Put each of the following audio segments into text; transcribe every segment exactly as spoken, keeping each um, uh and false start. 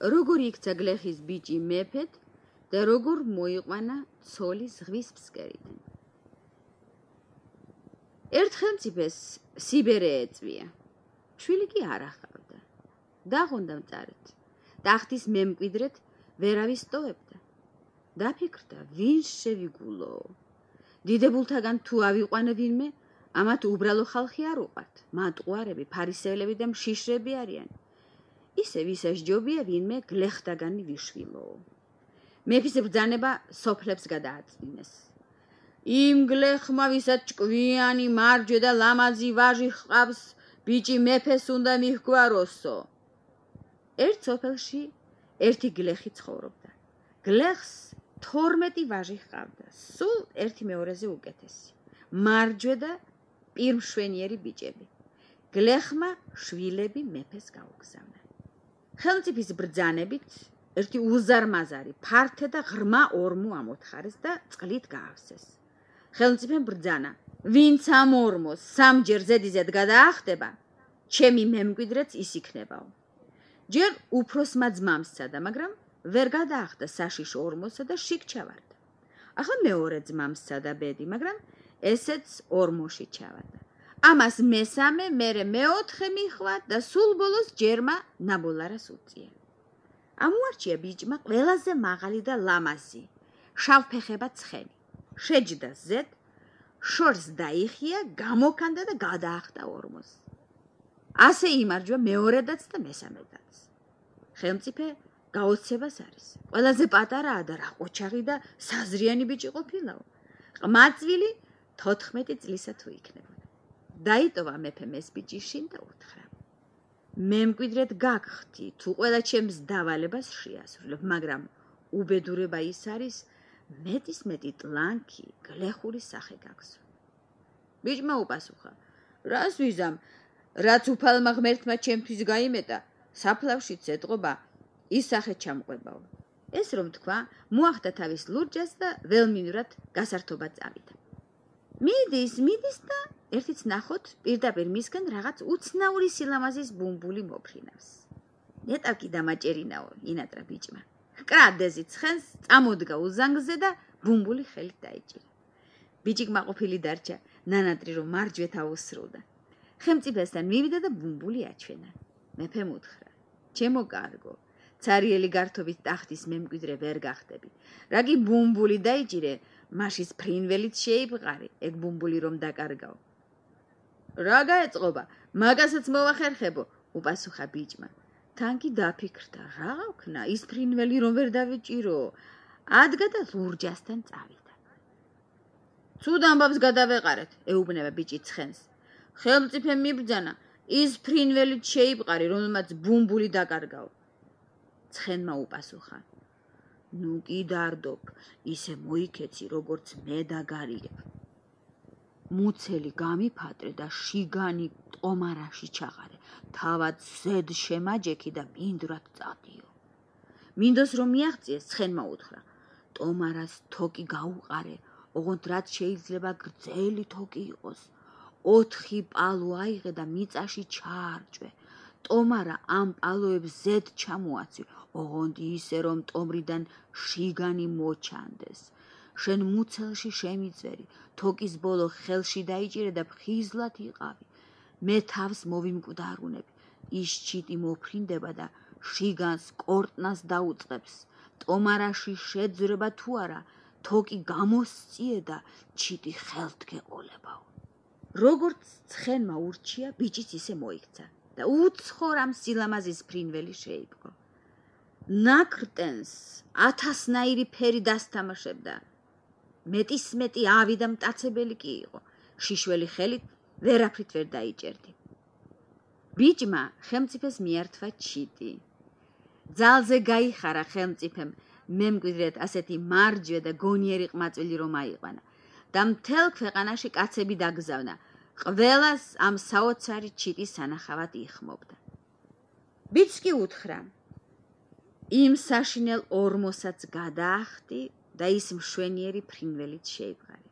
როგორ იქცა გლეხის ბიჭი მეფედ და როგორ მოიყვანა ცოლი ზღვის ფსკერიდან. ერთ ხელმწიფეს სიბერე ეწვია. შვილი კი არ ახავდა. დაღონდა მწარედ. ტახტის მემკვიდრედ ვერავის ტოვებდა. დაფიქრდა, ვინ შევიგულო. დიდებულთაგან თუ ავიყვანე ვინმე, ამათ უბრალო ხალხი არ უყვართ. მატყუარები, ფარისევლები და მშიშრები არიან. ისე ვისასჯობია ვინმე გლეხთაგანი ვიშვილო. მეფის ბრძანება სოფლებს გადააწმინეს. იმ გლეხმა, ვისაც ჭკვიანი, მარჯვე და ლამაზი ვაჟი ჰყავს, ბიჭი მეფეს უნდა მიჰგვაროსო. ერთ სოფელში ერთი გლეხი ცხოვრობდა. გლეხს თორმეტი ვაჟი ჰყავდა, სულ ერთი მეორეზე უკეთესი. მარჯვე და პირმშვენიერი ბიჭები. გლეხმა შვილები მეფეს გაუგზავნა. ხელმწიფის ბრძანებით ერთი უზარმაზარი, ფართე და ღრმა ორმო ამოთხარეს და წყლით გაავსეს. ხელმწიფემ ბრძანა, ვინც ამ ორმოს სამჯერ ზედიზედ გადაახტება, ჩემი მემკვიდრეც ის იქნებაო. ჯერ უფროსმა ძმამ სცადა, მაგრამ ვერ გადაახტა საშიშ ორმოსა და შიგ ჩავარდა. ახლა მეორე ძმამ სცადა ბედი, მაგრამ ესეც ორმოში ჩავარდა. ამას მესამე, მერე მეოთხე მიხვა და სულ ბოლოს ჯერმა ნაბოლარას უწია. ამოარჩია ბიჭმა ყველაზე მაღალი და ლამაზი, შავფეხება ცხენი. შეჯდა ზედ, შორს დაიხია, გამოკანდა და გადაახტა ორმოს. ასე იმარჯვა მეორედაც და მესამედაც. ხელმწიფე გაოცებას არის. ყველაზე პატარაა და რა ყოჩაღი და საზრიანი ბიჭი ყოფილაო. ყმაწვილი თოთხმეტი წლისა თუ იქნებოდა. დაიტოვა მეფემ ეს ბიჭი შინ და უთხრა. მემკვიდრედ გაგხდი, თუ ყველა ჩემს დავალებას შეასრულებ, მაგრამ უბედურება ის არის, მეტის მეტი ტლანქი გლეხური სახე გაგზო. ბიჭმა უპასუხა, რას ვიზამ, რაც უფალმა ღმერთმა ჩემთვის გაიმეტა, საფლავშიც ეტყობა, ის სახე ჩამყვებაო. ეს რომ თქვა, მოახდა თავის ლურჯას და ველმინურად გასართობა წავიდა. მიდის, მიდის და ერთიც ნახოთ, პირდაპირ მისგან რაღაც უცნაური სილამაზის ბუმბული მოფრინავს. ნეტავ კი დამაჭერინაო, ინატრა ბიჭმა. კრადეზი ცხენს, წამოდგა უზანგზე და ბუმბული ხელით დაიჭირა. ბიჭი კმაყოფილი დარჩა, ნანატრი რომ მარჯვეთ აუსრულდა. ხელმწიფესთან მივიდა და ბუმბული აჩვენა. მეფემ უთხრა, ჩემო კარგო, ცარიელი გართობით ტახტის მემკვიდრე ვერ გახდები. რა კი ბუმბული დაიჭირე, მაშის ფრინველით შეიბყარი, ეგ ბუმბული რომ დაკარგაო. რა გაეწყობა, მაგასაც მოვახერხებო, უპასუხა ბიჭმა. თან კი დაფიქრდა, რა ვქნა, ის ფრინველი რომ ვერ დავეჭირო, ადგა და ლურჯასთან წავიდა. ცუდ ამბავს გადავეყარეთ, ეუბნება ბიჭი ცხენს. ხელმწიფემ მიბრძანა, ის ფრინველით შეიბყარი, რომელმაც ბუმბული დაკარგაო. ცხენმა უპასუხა, ნუ კი დარდობ, ისე მოიქეცი, როგორც მე დაგარიგებ. მუცელი გამიფატრე და შიგანი ტომარაში ჩაღარე, თავად ზედ შემაჯექი და მინდვრად წადიო. მინდოს რომ მიაღწიეს, ცხენმა უთხრა, ტომარას თოკი გაუყარე, ოღონდ რაც შეიძლება გრძელი თოკი იყოს. ოთხი პალო აიღე და მიწაში ჩაარჭვე. ტომარა ამ პალოებს ზედ ჩამოაცვი, ოღონდ ისე რომ ტომრიდან შიგანი მოჩანდეს. შენ მუცელში შემიწვერი, თოკის ბოლო ხელში დაიჭირე და ფხიზლად იყავი. მე თავს მოვიმკვდარუნებ, ის ჩიტი მოფრინდება და შიგანს კორტნას დაუწყებს. ტომარაში შეძრება თუ არა, თოკი გამოსწიე და ჩიტი ხელთ გეყოლებაო. როგორც ცხენმა ურჩია, ბიჭიც ისე მოიქცა და უცხორ ამ სილამაზის ფრინველი შეიპყრო. ნაკრტენს ათასნაირი ფერი დასთამაშებდა. მეტის მეტი ავი და მტაცებელი კი იყო. შიშველი ხელით ვერაფრით ვერ დაიჭერდი. ბიჭმა ხელმწიფეს მიართვა ჩიტი. ძალზე გაიხარა ხელმწიფემ მემკვიდრედ ასეთი მარჯვე და გონიერი ყმაწვილი რომ აიყვანა და მთელ ქვეყანაში კაცები დაგზავნა. ყველას ამ საოცარი ჩიტის სანახავად იხმობდა. ბიჭს კი უთხრა, იმ საშინელ ორმოსაც გადაახტი და ის მშვენიერი ფრინველით შეიბყარი.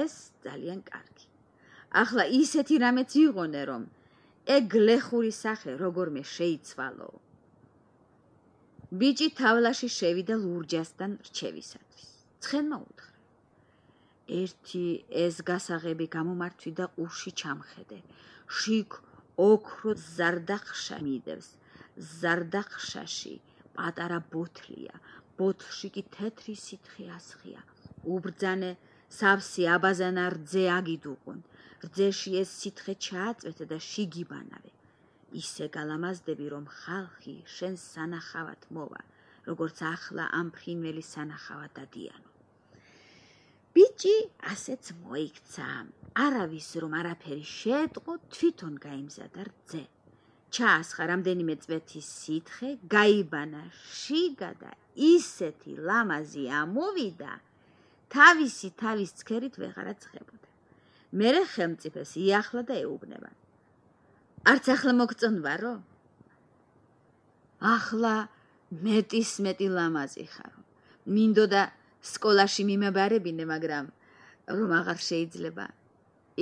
ეს ძალიან კარგი. ახლა ისეთი რამეც იღონე, რომ ეგ გლეხური სახე როგორმე შეიცვალო. ბიჭი თავლაში შევიდა ლურჯასთან რჩევისათვის. ცხენმა უთხრა: ერთი ეს გასაღები გამომართვი და ყურში ჩამხედე. შიგ ოქრო ზარდახშა მიდევს. ზარდახშაში პატარა ბოთლია. ბოთლში კი თეთრი სითხე ასხია. უბრძანე სავსე აბაზანა რძე აგიდუყუნ. რძეში ეს სითხე ჩააწვეთე და შიგიბანავე. ისე გალამაზდები, რომ ხალხი შენ სანახავად მოვა, როგორც ახლა ამ ფრინველის სანახავად დადიანო. ბიჭი ასეც მოიქცა. არავის რომ არაფერი შეეტყო, თვითონ გაიმზადა რძე. ჩაასხა რამდენიმე წვეთის სითხე, გაიბანა შიგა და ისეთი ლამაზი ამოვიდა, თავისი თავის ცქერით ვეღარა ცხებოდა. მერე ხელმწიფეს იახლა და ეუბნება: არც ახლა მოგწონვარო? ახლა მეტის მეტი ლამაზი ხარო. მინდოდა სკოლაში მიმაბარებინე, მაგრამ რომ აღარ შეიძლება.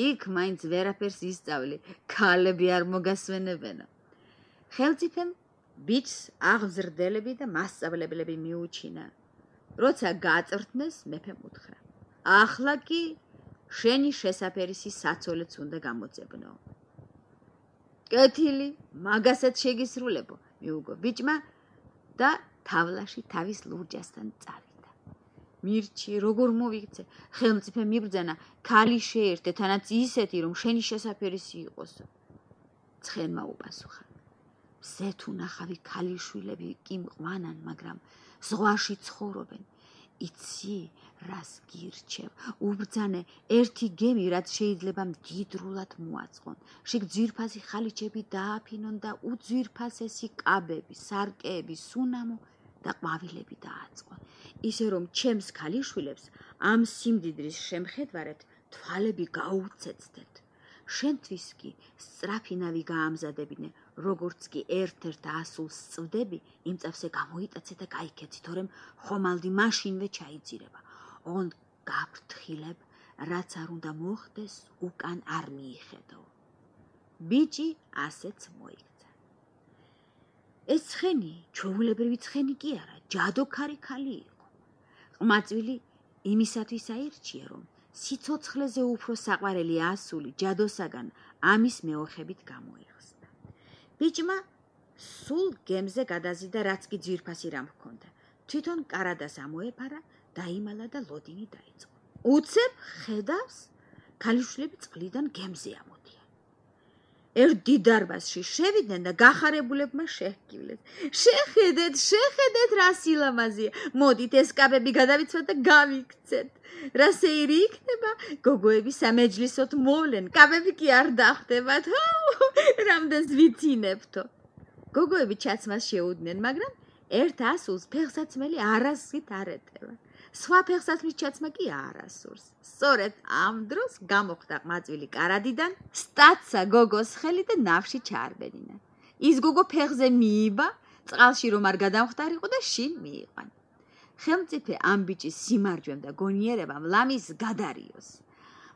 იქ მაინც ვერაფერს ისწავლი, ქალები არ მოგასვენებენო. ხელმწიფემ ბიჭს აღზრდელები და მასწავლებლები მიუჩინა. როცა გაწრთნეს, მეფემ უთხრა: ახლა კი შენი შესაფერისი საცოლეც უნდა გამოძებნო. კეთილი, მაგასაც შეგისრულებო, მიუგო ბიჭმა და თავლაში თავის ლურჯასთან წავიდა. მირჩი, როგორ მოვიქცე? ხელმწიფემ მიბრძანა, ქალი შეერთე, თანაც ისეთი, რომ შენი შესაფერისი იყოსო. ცხენმა უპასუხა: მზეთ უნახავი ქალიშვილები კი მყვანან, მაგრამ ზღვაში ცხოვრობენ. იცი, რას გირჩევ? უბრძანე ერთი გემი, რაც შეიძლება მდიდრულად მოაწყონ. შიგ ძვირფასი ხალიჩები დააფინონ და უძვირფასესი კაბები, სარკეები, სუნამო და ყვავილები დააწყონ. ისე რომ ჩემს ქალიშვილებს ამ სიმდიდრის შემხედვარეთ თვალები გაუცეცდეთ. შენთვის კი სწრაფინავი გაამზადებინე, როგორც კი ერთ-ერთ ასულს სწვდები, იმ წავსე გამოიტაცე და გაიქეცი, თორემ ხომალდი მაშინვე ჩაიძირება. ონ გაფრთხილებ, რაც არ უნდა მოხდეს, უკან არ მიიხედო. ბიჭი ასეც მოიქცა. ეს ცხენი ჩვეულებრივი ცხენი კი არა, ჯადოქარი ხალი იყო. ყმაწვილი იმისათვის აირჩია, რომ სიცოცხლეზე უფრო საყვარელი ასული ჯადოსაგან ამის მეოხებით გამოიხსნა. ბიჭმა სულ გემზე გადაზიდა, რაც კი ძვირფასი რამ ჰქონდა. თვითონ კარადას ამოეფარა, დაიმალა და ლოდინი დაიწყო. უცებ ხედავს, ქალიშვილები წყლიდან გემზე ამოდიან. ერთ დიდ დარბაზში შევიდნენ და გახარებულებმა შეჰკივლეს. შეხედეთ, შეხედეთ, რა სილამაზია. მოდით ეს კაბები გადავიცვათ და გავიქცეთ. რა სეირი იქნება? გოგოები სამეჯლისოთ მოვლენ, კაბები კი არ დახვდებათ. რამდენს ვიცინებთო. გოგოები ჩაცმას შეუდნენ, მაგრამ ერთ ასულს ფეხსაცმელი არასდროს არ ეტევა. სხვა ფეხსაცმლის ჩაცმა კი არასურს. სწორედ ამ დროს გამოხდა ყმაწვილი კარადიდან, სტაცა გოგოს ხელი და ნავში ჩაარბენინა. ის გოგო ფეხზე მიიბა, წყალში რომ არ გადამხდარიყო და შინ მიიყვანა. ხელმწიფე ამ ბიჭის სიმარჯვემ და გონიერებამ ლამის გადარიოს.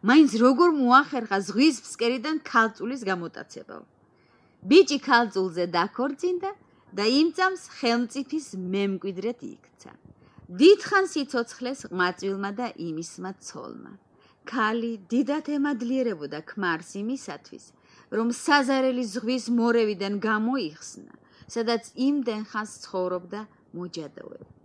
მაინც როგორ მოახერხა ზღვის ფსკერიდან ქალწულის გამოტაცება. ბიჭი ქალწულზე დაქორწინდა და იმ წამს ხელმწიფის მემკვიდრედ იქცა. დიდხანს იცოცხლეს ყმაწვილმა და იმისმა ცოლმა. ქალი დიდად ემადლიერებოდა ქმარს იმისათვის, რომ საზარელი ზღვის მორევიდან გამოიხსნა, სადაც იმდენ ხანს ცხოვრობდა მოჯადოება.